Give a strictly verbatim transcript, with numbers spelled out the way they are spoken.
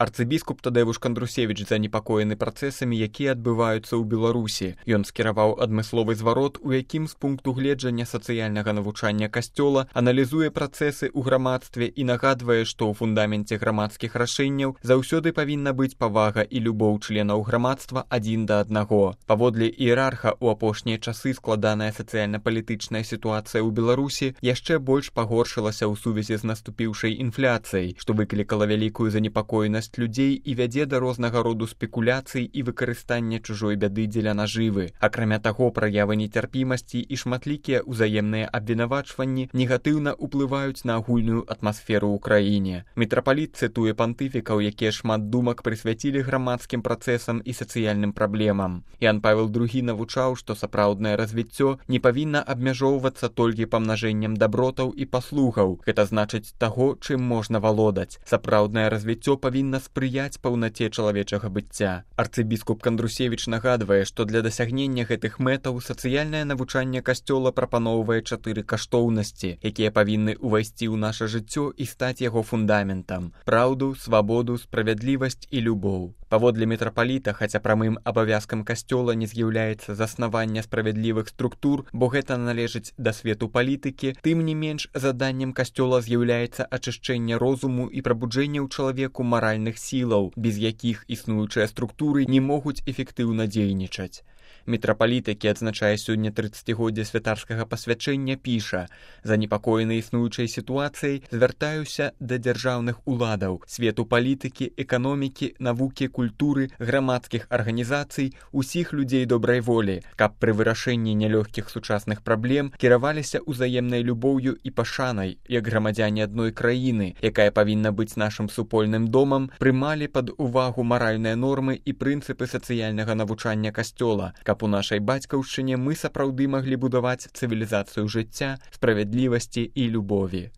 Арцыбіскуп Тадэвуш Кандрусевіч занепакоены працэсамі, якія адбываюцца ў Беларусі. Ён скіраваў адмысловы зварот, у якім з пункту гледжання сацыяльнага навучання касцёла аналізуе працэсы ў грамадстве і нагадвае, што ў фундаменце грамадскіх рашэнняў заўсёды павінна быць павага і любоў членаў грамадства адзін да аднаго. Паводле іерарха, у апошнія часы складаная сацыяльна-палітычная сітуацыя ў Беларусі яшчэ больш пагоршылася ў сувязі з наступіўшай інфляцыяй, што выклікала вялікую занепакоенасць людзей і вядзе да рознага роду спекуляцый і выкарыстання чужой бяды дзеля нажывы. Акрамя таго, праявы нецярпімасці і шматлікія ўзаемныя абвінавачванні негатыўна ўплываюць на агульную атмасферу ў краіне. Мітрапаліт цытуе пантыфікаў, якія шмат думак прысвяцілі грамадскім працэсам і сацыяльным праблемам. Ян Павел другі навучаў, што сапраўднае развіццё не павінна абмяжоўвацца толькі памнажэннем дабротаў і паслугаў. Гэта значыць таго, чым можна валодаць. Сапраўднае развіццё павінна спрыяць паўнаце чалавечага быцця. Арцыбіскуп Кандрусевіч нагадвае, што для дасягнення гэтых мэтаў сацыяльнае навучанне касцёла прапаноўвае чатыры каштоўнасці, якія павінны ўвайсці ў наша жыццё і стаць яго фундаментам: праўду, свабоду, справядлівасць і любоў. Паводле мітрапаліта, хаця прамым абавязкам касцёла не з'яўляецца заснаванне справядлівых структур, бо гэта належыць да свету палітыкі, тым не менш заданнем касцёла з'яўляецца ачышчэнне розуму і прабуджэнне ў чалавеку маральных сілаў, без якіх існуючыя структуры не могуць эфектыўна дзейнічаць. Мітрапаліт, які адзначае сёння трыццацігоддзе святарскага пасвячэння, піша: «Занепакоены існуючай сітуацыяй, звяртаюся да дзяржаўных уладаў, свету палітыкі, эканомікі, навукі, культуры, грамадскіх арганізацый, усіх людзей добрай волі, каб пры вырашэнні нялёгкіх сучасных праблем кіраваліся ўзаемнай любоўю і пашанай, як грамадзяне адной краіны, якая павінна быць нашым супольным домам, прымалі пад увагу маральныя нормы і прынцыпы сацыяльнага навучання касцёла, каб у нашай бацькаўшчыне мы сапраўды маглі будаваць цывілізацыю жыцця, справядлівасці і любові».